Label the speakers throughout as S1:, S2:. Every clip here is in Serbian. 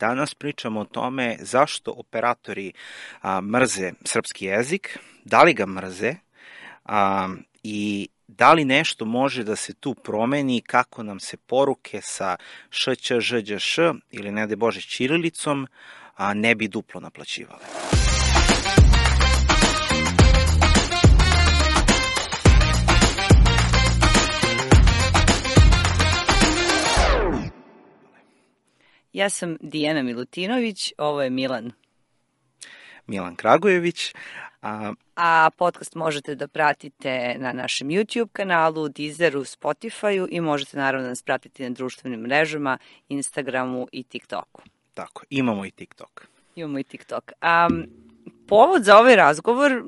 S1: Danas pričamo o tome zašto operatori mrze srpski jezik, da li ga mrze i da li nešto može da se tu promeni, kako nam se poruke sa š, ć, ž, đ, š ili ne daj Bože ćirilicom ne bi duplo naplaćivale.
S2: Ja sam Dijana Milutinović, ovo je
S1: Milan Kragujević.
S2: A podcast možete da pratite na našem YouTube kanalu, Deezeru, Spotifyu i možete naravno da nas pratiti na društvenim mrežama, Instagramu i TikToku.
S1: Tako, imamo i TikTok.
S2: Povod za ovaj razgovor,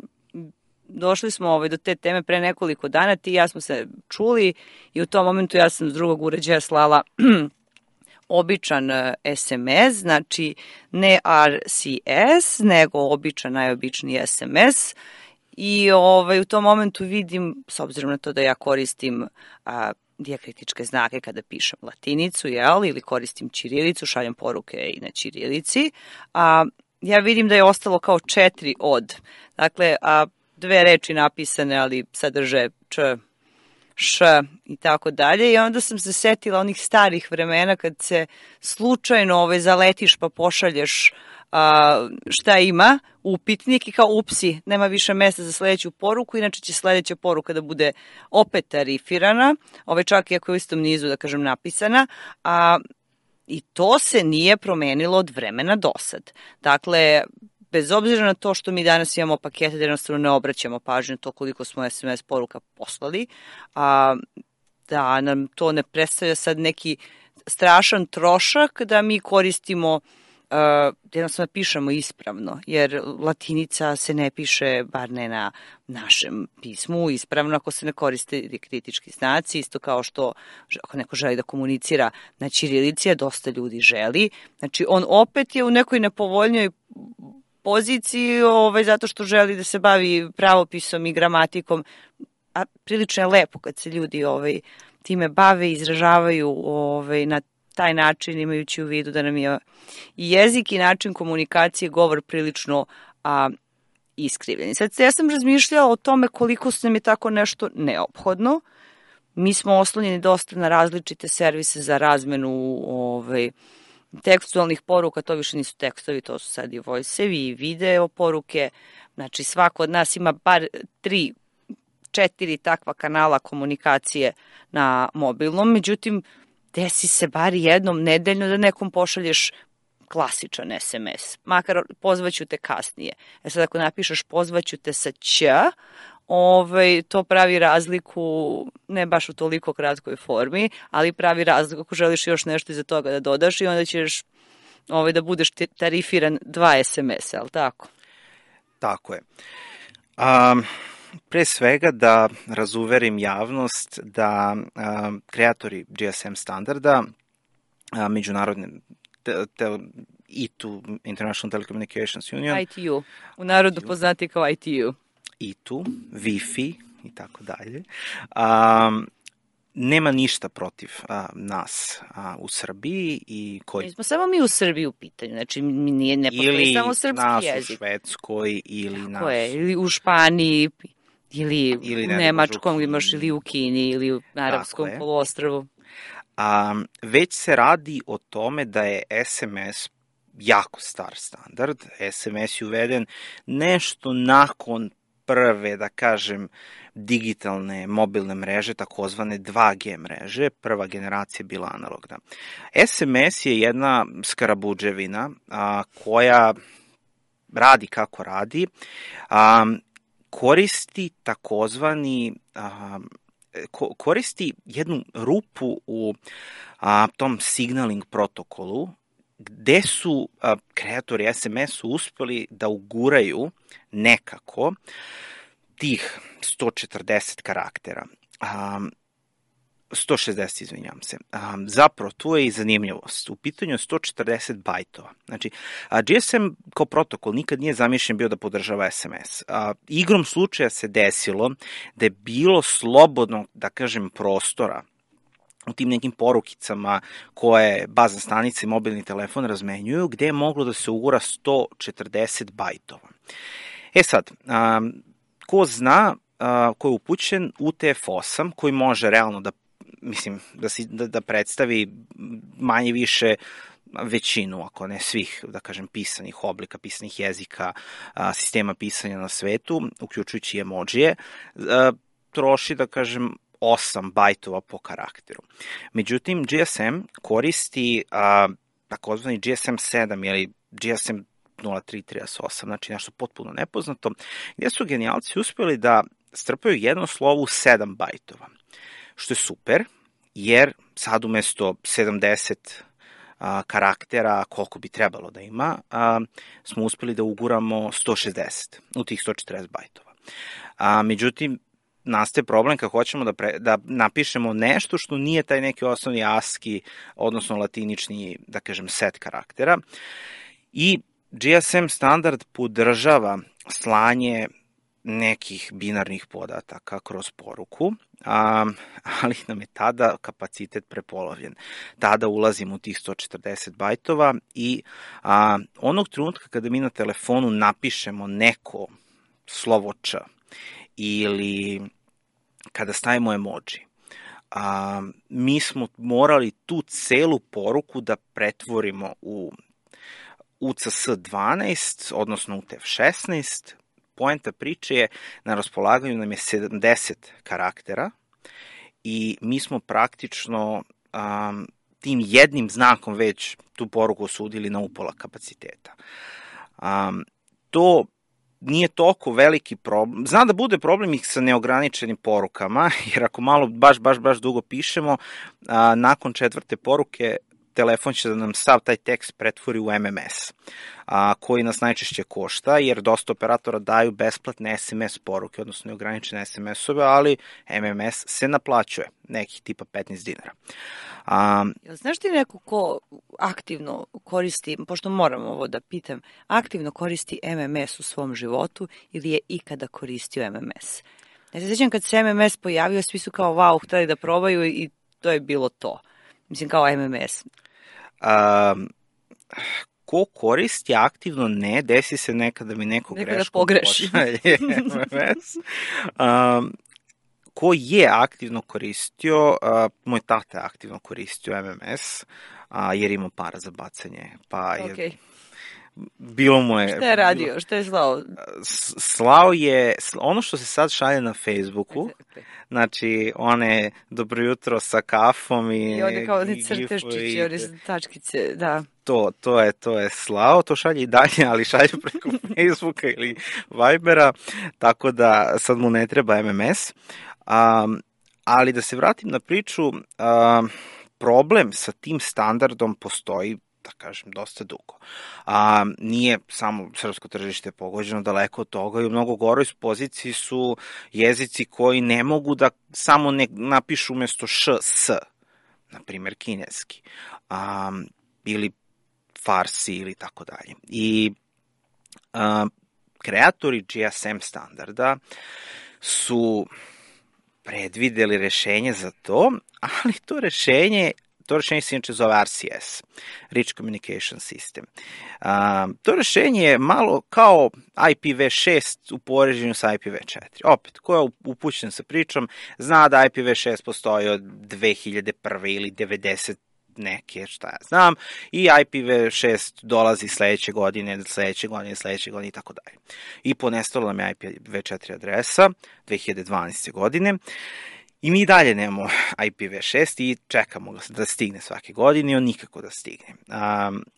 S2: došli smo do te teme pre nekoliko dana, ti i ja smo se čuli i u tom momentu ja sam s drugog uređaja slala običan SMS, znači ne RCS, nego običan, najobičniji SMS i u tom momentu vidim, s obzirom na to da ja koristim dijakritičke znake kada pišem latinicu, ili koristim ćirilicu, šaljem poruke i na ćirilici, ja vidim da je ostalo kao 4 od. Dakle, 2 reči napisane, ali sadrže č, š i tako dalje i onda sam se setila onih starih vremena kad se slučajno zaletiš pa pošalješ šta ima, upitnik i kao upsi, nema više mesta za sledeću poruku, inače će sledeća poruka da bude opet tarifirana, čak i ako je u istom nizu, da kažem, napisana, i to se nije promenilo od vremena do sad. Dakle, bez obzira na to što mi danas imamo pakete da jednostavno ne obraćamo pažnju to koliko smo SMS poruka poslali, da nam to ne predstavlja sad neki strašan trošak da mi koristimo, jednostavno pišemo ispravno, jer latinica se ne piše, bar ne na našem pismu, ispravno ako se ne koriste kritički znaci, isto kao što ako neko želi da komunicira na ćirilici, a dosta ljudi želi. Znači, on opet je u nekoj nepovoljnoj poziciji zato što želi da se bavi pravopisom i gramatikom, a prilično je lepo kad se ljudi time bave i izražavaju na taj način, imajući u vidu da nam je i jezik i način komunikacije, govor prilično iskrivljeni. Sad, ja sam razmišljala o tome koliko nam je tako nešto neophodno. Mi smo oslonjeni dosta na različite servise za razmenu tekstualnih poruka, to više nisu tekstovi, to su sad i voice-evi i video poruke. Znači, svako od nas ima bar 3-4 takva kanala komunikacije na mobilnom, međutim, desi se bar jednom nedeljno da nekom pošalješ klasičan SMS, makar pozvaću te kasnije. Sad ako napišeš pozvaću te sa ć, to pravi razliku, ne baš u toliko kratkoj formi, ali pravi razliku ako želiš još nešto iza toga da dodaš i onda ćeš da budeš tarifiran 2 SMS-a, ali tako?
S1: Tako je. Pre svega da razuverim javnost da kreatori GSM standarda, međunarodne ITU, International Telecommunications Union,
S2: ITU, u narodu poznati kao ITU,
S1: ITU, Wi-Fi i tako dalje, nema ništa protiv nas u Srbiji.
S2: Nismo samo mi u Srbiji u pitanju, znači ne postoji samo srpski jezik.
S1: Ili nas u Švedskoj,
S2: ili u Španiji, ili u Nemačkom, ili u Kini, ili u Arapskom poluostrvu.
S1: Već se radi o tome da je SMS jako star standard. SMS je uveden nešto nakon prve, da kažem, digitalne mobilne mreže, takozvane 2G mreže. Prva generacija je bila analogna. SMS je jedna skarabuđevina koja radi kako radi, koristi jednu rupu u tom signaling protokolu, gde su kreatori SMS-u uspeli da uguraju nekako tih 140 karaktera. 160, izvinjam se. Zapravo, tu je i zanimljivost. U pitanju je 140 bajtova. Znači, GSM kao protokol nikad nije zamišljen bio da podržava SMS. Igrom slučaja se desilo da je bilo slobodno, da kažem, prostora u tim nekim porukicama koje bazne stanice i mobilni telefon razmenjuju, gde je moglo da se ugura 140 bajtova. E sad, ko zna, ko je upućen, UTF-8, koji može realno da predstavi manje više većinu, ako ne svih, da kažem, pisanih oblika, pisanih jezika, sistema pisanja na svetu, uključujući emojije, troši, da kažem, 8 bajtova po karakteru. Međutim, GSM koristi takozvani GSM 7 ili GSM 0338, znači nešto potpuno nepoznato, gde su genijalci uspeli da strpaju jedno slovo u 7 bajtova, što je super, jer sad umesto 70 karaktera, koliko bi trebalo da ima, smo uspeli da uguramo 160 u tih 140 bajtova. Međutim, nastaje problem kad hoćemo da napišemo nešto što nije taj neki osnovni ASCII, odnosno latinični, da kažem, set karaktera. I GSM standard podržava slanje nekih binarnih podataka kroz poruku, ali nam je tada kapacitet prepolovljen. Tada ulazimo u tih 140 bajtova i onog trenutka kada mi na telefonu napišemo neko slovo Č ili kada stavimo emoji, mi smo morali tu celu poruku da pretvorimo u UCS-12, odnosno UTF-16. Poenta priče je, na raspolaganju nam je 70 karaktera i mi smo praktično tim jednim znakom već tu poruku osudili na upola kapaciteta. To nije toliko veliki problem. Zna da bude problem i sa neograničenim porukama, jer ako malo baš dugo pišemo, nakon 4. poruke telefon će da nam sav taj tekst pretvori u MMS, koji nas najčešće košta, jer dosta operatora daju besplatne SMS poruke, odnosno neograničene SMS-ove, ali MMS se naplaćuje, nekih tipa 15 dinara.
S2: Znaš ti neko ko aktivno koristi, pošto moram ovo da pitam, aktivno koristi MMS u svom životu ili je ikada koristio MMS? Ja se sjećam kad se MMS pojavio, svi su kao wow, hteli da probaju i to je bilo to. Mislim, kao MMS.
S1: Ko koristi aktivno, ne, desi se nekada da mi neko greškom
S2: pogreši
S1: MMS. Ko je aktivno koristio, moj tata je aktivno koristio MMS, jer ima para za bacanje. Pa je,
S2: okay.
S1: Bilo mu je...
S2: Šta je radio? Šta je slao?
S1: Slao je ono što se sad šalje na Facebooku, znači one dobro jutro sa kafom
S2: i one kao oni crteščići, one tačkice, da.
S1: To je slao, to šalje i dalje, ali šalje preko Facebooka ili Vibera, tako da sad mu ne treba MMS. Ali da se vratim na priču, problem sa tim standardom postoji, da kažem, dosta dugo. Nije samo srpsko tržište pogođeno, daleko od toga i u mnogo goroj poziciji su jezici koji ne mogu da samo napišu umesto š, s, na primjer kineski, ili farsi ili tako dalje. I kreatori GSM standarda su predvideli rešenje za to, ali to rešenje se inače zove RCS, Rich Communication System. To rešenje je malo kao IPv6 u poređenju sa IPv4. Opet, ko je upućen sa pričom, zna da IPv6 postoji od 2001. ili 90 neke, šta ja znam, i IPv6 dolazi sledeće godine i tako dalje. I ponestalo nam je IPv4 adresa 2012. godine. I mi dalje nemamo IPv6 i čekamo da stigne svake godine i on nikako da stigne.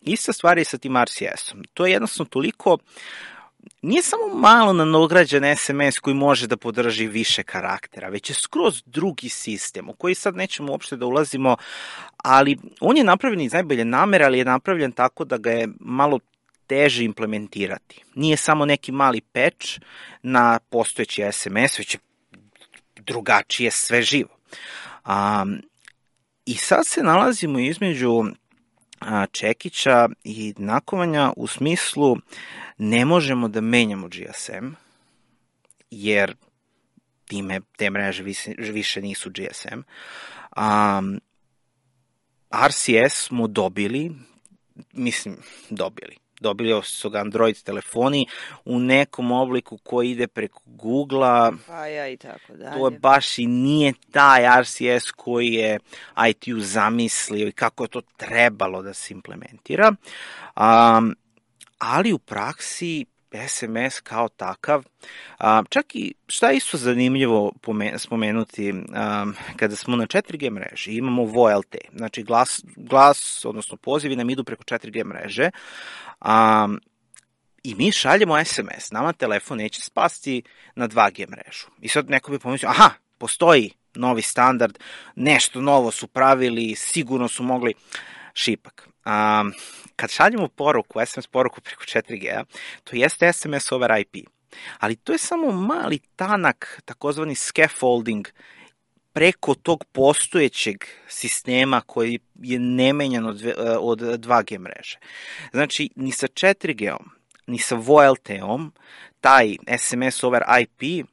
S1: Ista stvar je sa tim RCS-om. To je jednostavno toliko, nije samo malo nadograđen SMS koji može da podrži više karaktera, već je skroz drugi sistem u koji sad nećemo uopšte da ulazimo, ali on je napravljen iz najbolje namere, ali je napravljen tako da ga je malo teže implementirati. Nije samo neki mali patch na postojeći SMS, već je drugačije sve živo. I sad se nalazimo između čekića i nakovanja u smislu ne možemo da menjamo GSM, jer te mreže više nisu GSM, RCS smo dobili, dobili su ga Android telefoni u nekom obliku koji ide preko Google-a.
S2: Wi-Fi i tako dalje.
S1: To je baš i nije taj RCS koji je ITU zamislio i kako je to trebalo da se implementira. Ali u praksi SMS kao takav, čak i šta je isto zanimljivo spomenuti, kada smo na 4G mreži, imamo VoLTE, znači glas, odnosno pozivi nam idu preko 4G mreže, i mi šaljemo SMS, nama telefon neće spasti na 2G mrežu. I sad neko bi pomislio, aha, postoji novi standard, nešto novo su pravili, sigurno su mogli, šipak. Kad šaljemo poruku, SMS poruku preko 4G, to jeste SMS over IP, ali to je samo mali tanak, takozvani scaffolding, preko tog postojećeg sistema koji je nemenjan od 2G mreže. Znači, ni sa 4G-om, ni sa VoLTE-om, taj SMS over IP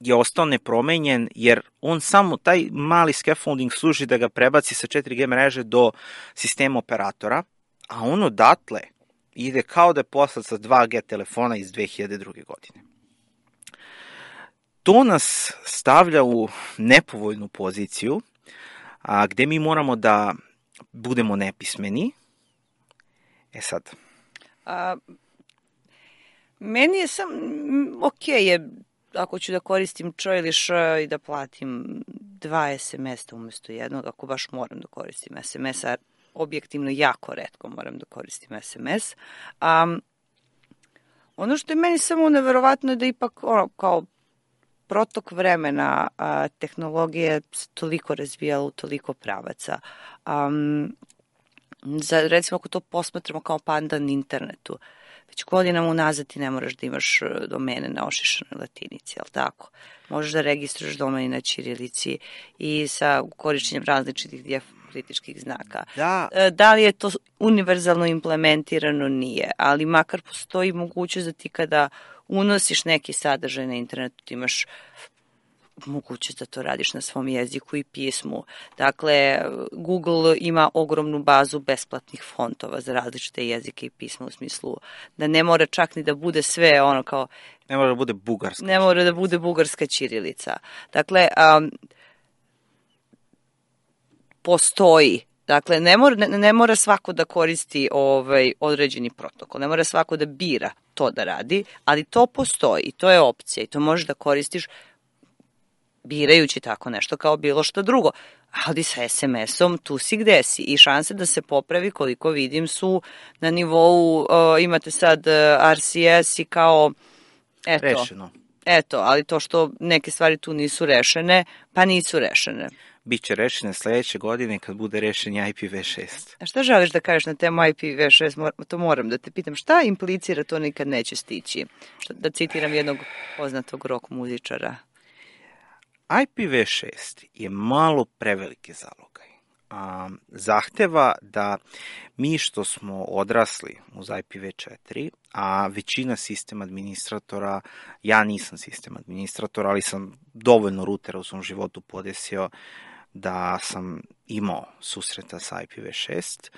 S1: je ostao nepromenjen, jer on samo, taj mali scaffolding služi da ga prebaci sa 4G mreže do sistema operatora, a on odatle ide kao da je poslat sa 2G telefona iz 2002. godine. To nas stavlja u nepovoljnu poziciju, gde mi moramo da budemo nepismeni. Sad.
S2: Meni je okej je ako ću da koristim č ili š i da platim 2 SMS-a umesto jednog, ako baš moram da koristim SMS-a, objektivno jako retko moram da koristim SMS. Ono što je meni samo neverovatno je da ipak kao protok vremena tehnologija se toliko razvijala u toliko pravaca. Recimo ako to posmatramo kao pandan internetu, već godinama unazad ti ne moraš da imaš domene na ošišanoj latinici, jel tako? Možeš da registruješ domen na ćirilici i sa korišćenjem različitih dijakritičkih znaka. Da li je to univerzalno implementirano? Nije, ali makar postoji mogućnost da ti kada unosiš neki sadržaj na internetu, ti imaš mogućnost da to radiš na svom jeziku i pismu. Dakle, Google ima ogromnu bazu besplatnih fontova za različite jezike i pisma, u smislu da ne mora čak ni da bude sve ono kao...
S1: Ne mora da bude bugarska.
S2: Ne mora da bude bugarska ćirilica. Dakle, postoji. Dakle, ne mora svako da koristi određeni protokol, ne mora svako da bira to da radi, ali to postoji i to je opcija i to možeš da koristiš birajući tako nešto kao bilo što drugo. Ali sa SMS-om tu si gde si i šanse da se popravi, koliko vidim, su na nivou, imate sad RCS i kao,
S1: rešeno.
S2: Eto, ali to što neke stvari tu nisu rešene, pa nisu rešene.
S1: Biće rešene sledeće godine kad bude rešen IPv6.
S2: A šta želiš da kažeš na temu IPv6? To moram da te pitam. Šta implicira to nikad neće stići? Da citiram jednog poznatog rock muzičara.
S1: IPv6 je malo prevelike zalogaj. Zahteva da mi što smo odrasli uz IPv4, a većina sistem administratora, ja nisam sistem administrator, ali sam dovoljno rutera u svom životu podesio da sam imao susreta sa IPv6,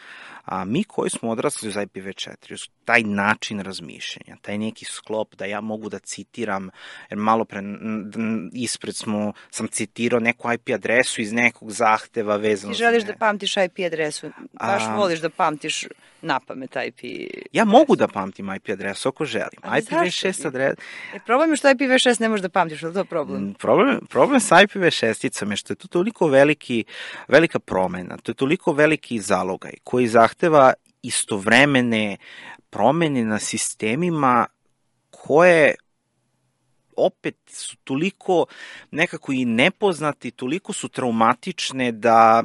S1: a mi koji smo odrasli uz IPv4, taj način razmišljanja, taj neki sklop da ja mogu da citiram, jer malo pre ispred sam citirao neku IP adresu iz nekog zahteva vezano.
S2: Ti želiš da pamtiš IP adresu, baš voliš da pamtiš na pamet IP.
S1: Ja mogu da pamtim IP adresu ako želim. IPv6 adres...
S2: Problem je što IPv6 ne možeš da pamtiš, ali to je problem?
S1: Problem sa IPv6-icom je što je to toliko velika promena, to je toliko veliki zalogaj koji zahteva istovremene promene na sistemima koje opet su toliko nekako i nepoznati, toliko su traumatične da...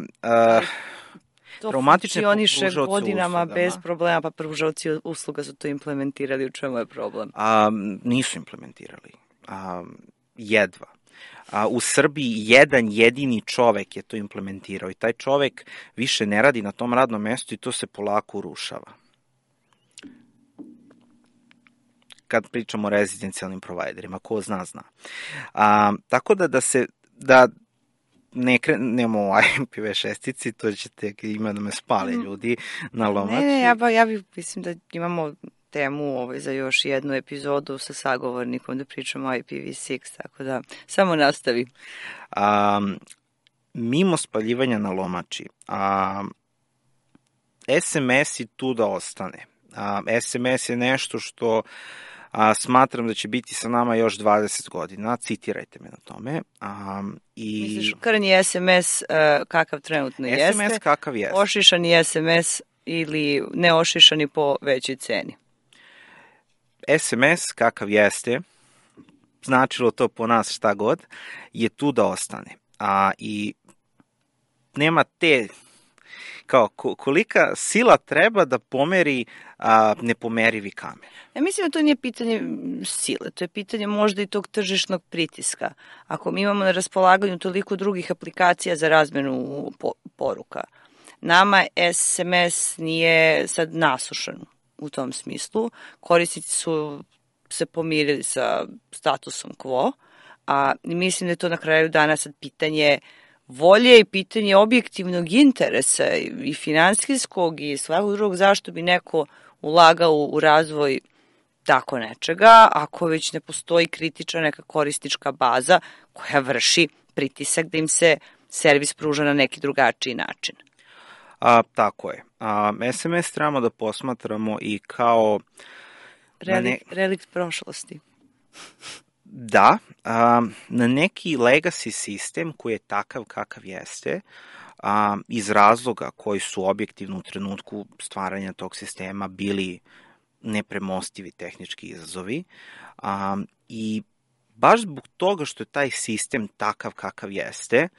S2: To funkcioniše godinama bez problema, pa pružaoci usluga su to implementirali, u čemu je problem?
S1: Nisu implementirali. Jedva. U Srbiji jedan jedini čovek je to implementirao i taj čovek više ne radi na tom radnom mestu i to se polako urušava. Kad pričamo o rezidencijalnim provajderima, ko zna. Tako da ne krenemo u IPv6, to ćete ima da me spale ljudi na lomači.
S2: Ne, ja bih, mislim da imamo temu za još jednu epizodu sa sagovornikom da pričamo o IPv6, tako da samo nastavi.
S1: Mimo spaljivanja na lomači, SMS i tu da ostane. SMS je nešto što smatram da će biti sa nama još 20 godina, citirajte me na tome.
S2: Misliš, krnji SMS kakav trenutno jeste?
S1: SMS kakav jeste.
S2: Ošišani SMS ili neošišani po većoj ceni?
S1: SMS kakav jeste, značilo to po nas šta god, je tu da ostane. I nema te, kao kolika sila treba da pomeri nepomerivi kamen.
S2: Ja mislim da to nije pitanje sile, to je pitanje možda i tog tržišnog pritiska. Ako mi imamo na raspolaganju toliko drugih aplikacija za razmenu poruka, nama SMS nije sad nasušan u tom smislu. Korisnici su se pomirili sa statusom quo, a mislim da je to na kraju dana sad pitanje volje i pitanje objektivnog interesa i finansijskog i svakog drugog, zašto bi neko ulagao u razvoj tako nečega, ako već ne postoji kritična neka korisnička baza koja vrši pritisak da im se servis pruža na neki drugačiji način.
S1: Tako je. SMS trebamo da posmatramo i kao
S2: relikt prošlosti.
S1: Da, na neki legacy sistem koji je takav kakav jeste, iz razloga koji su objektivno u trenutku stvaranja tog sistema bili nepremostivi tehnički izazovi, i baš zbog toga što je taj sistem takav kakav jeste,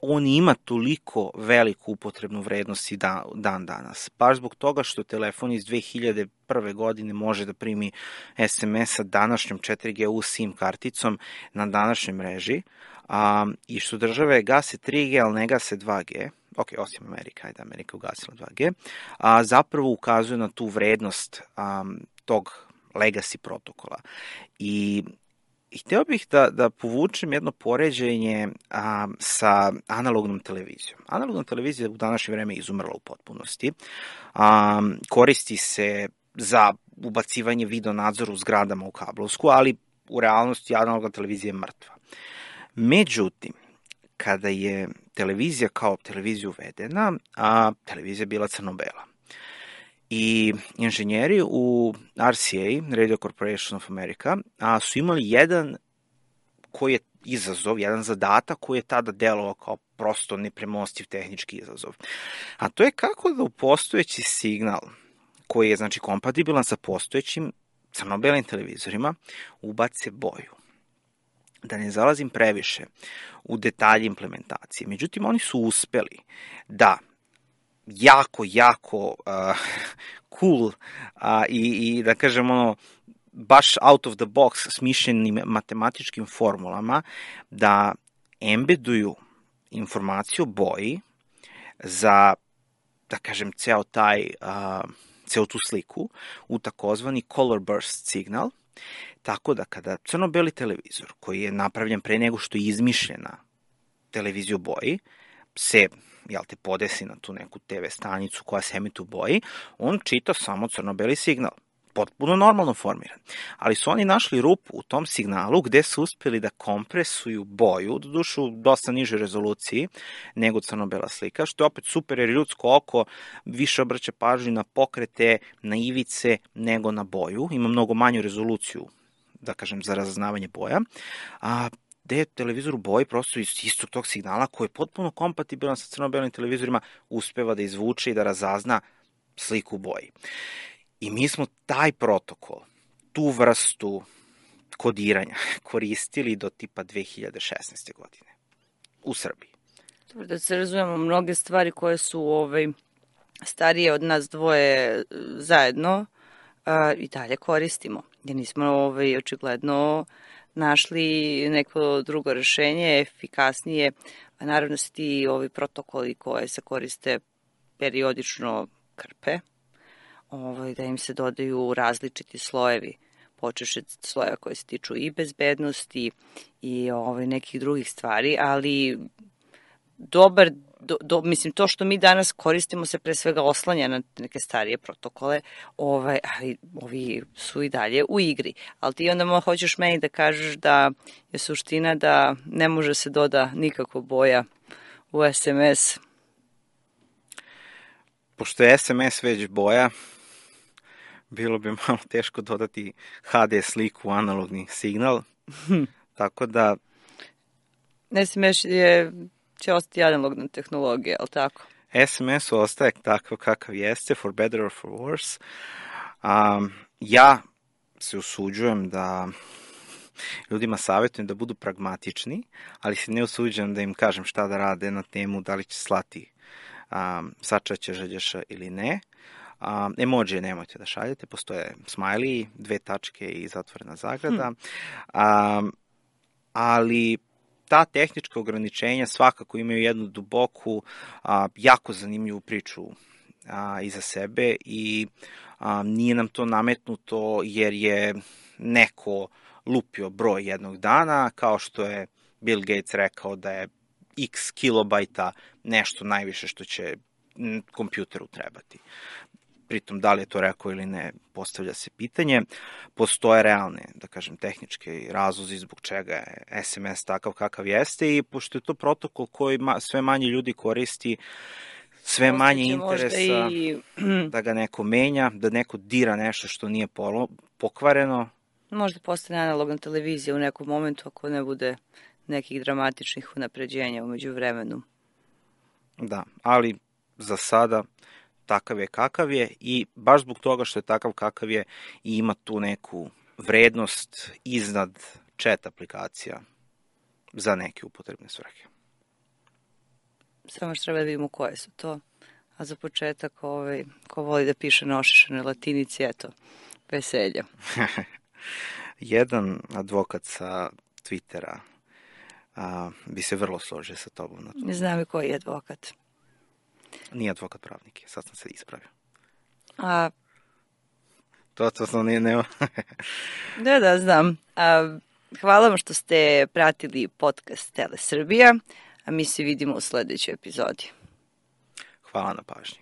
S1: on ima toliko veliku upotrebnu vrednost i dan danas. Baš zbog toga što telefon iz 2001. godine može da primi SMS sa današnjom 4G SIM karticom na današnjoj mreži, i što države gase 3G, ali ne gase 2G, ok, osim Amerika, ajde, Amerika ugasila 2G, zapravo ukazuje na tu vrednost tog legacy protokola. I hteo bih da povučem jedno poređenje sa analognom televizijom. Analogna televizija u današnje vreme izumrla u potpunosti. Koristi se za ubacivanje video nadzora u zgradama u kablovsku, ali u realnosti analogna televizija je mrtva. Međutim, kada je televizija kao televizija uvedena, televizija je bila crno-bela. I inženjeri u RCA, Radio Corporation of America, su imali jedan koji je izazov, jedan zadatak koji je tada delovao kao prosto nepremostiv tehnički izazov. A to je kako da u postojeći signal, koji je znači kompatibilan sa postojećim crno-belim televizorima, ubace boju. Da ne zalazim previše u detalje implementacije. Međutim, oni su uspeli da jako cool i da kažem baš out of the box smišljenim matematičkim formulama da embeduju informaciju o boji za, da kažem, ceo tu sliku u takozvani color burst signal, tako da kada crno-beli televizor koji je napravljen pre nego što je izmišljena televizija u boji se podesi na tu neku TV stanicu koja se emituje u boji, on čita samo crno-beli signal. Potpuno normalno formiran. Ali su oni našli rupu u tom signalu gde su uspeli da kompresuju boju, doduše u dosta nižoj rezoluciji nego crno-bela slika, što je opet super jer ljudsko oko više obraća pažnju na pokrete, na ivice nego na boju. Ima mnogo manju rezoluciju, da kažem, za razaznavanje boja. Gde je televizor u boji prosto iz istog tog signala koji je potpuno kompatibilan sa crno-belim televizorima uspeva da izvuče i da razazna sliku u boji. I mi smo taj protokol, tu vrstu kodiranja koristili do tipa 2016. godine u Srbiji.
S2: Dobro, da se razumemo, mnoge stvari koje su starije od nas dvoje zajedno i dalje koristimo. Jer nismo očigledno našli neko drugo rešenje, efikasnije, a naravno se ti protokoli koje se koriste periodično krpe, da im se dodaju različiti slojevi počeš od slojeva koje se tiču i bezbednosti i nekih drugih stvari, ali dobar, mislim, to što mi danas koristimo se pre svega oslanja na neke starije protokole, ali ovi su i dalje u igri. Ali ti onda hoćeš meni da kažeš da je suština da ne može se doda nikako boja u SMS.
S1: Pošto je SMS već boja, bilo bi malo teško dodati HD sliku u analogni signal, tako da...
S2: SMS će ostati analogna tehnologija, ali tako?
S1: SMS ostaje takav kakav jeste, for better or for worse. Ja se usuđujem da ljudima savjetujem da budu pragmatični, ali se ne usuđujem da im kažem šta da rade na temu da li će slati sačaće želješa ili ne. Emoji nemojte da šaljete, postoje smiley, 2 tačke i zatvorena zagrada, ali ta tehnička ograničenja svakako imaju jednu duboku, jako zanimljivu priču iza sebe i nije nam to nametnuto jer je neko lupio broj jednog dana, kao što je Bill Gates rekao da je x kilobajta nešto najviše što će kompjuteru trebati. Pritom, da li je to rekao ili ne, postavlja se pitanje. Postoje realne, da kažem, tehničke razlozi zbog čega je SMS takav kakav jeste i pošto je to protokol koji sve manje ljudi koristi, sve manje interesa da ga neko menja, da neko dira nešto što nije pokvareno.
S2: Možda postane analogna televizija u nekom momentu ako ne bude nekih dramatičnih unapređenja umeđu vremenu.
S1: Da, ali za sada takav je kakav je i baš zbog toga što je takav kakav je i ima tu neku vrednost iznad chat aplikacija za neke upotrebne svrhe.
S2: Samo što treba da vidimo koje su to. A za početak, ko voli da piše na ošišanoj latinici, eto, veselja.
S1: Jedan advokat sa Twittera bi se vrlo složio sa tobom na to.
S2: Ne znam i koji je advokat.
S1: Nije advokat pravnik, sad sam se ispravio. To nije nema.
S2: Da, znam. Hvala vam što ste pratili podcast Tele Srbija, a mi se vidimo u sledećoj epizodi.
S1: Hvala na pažnji.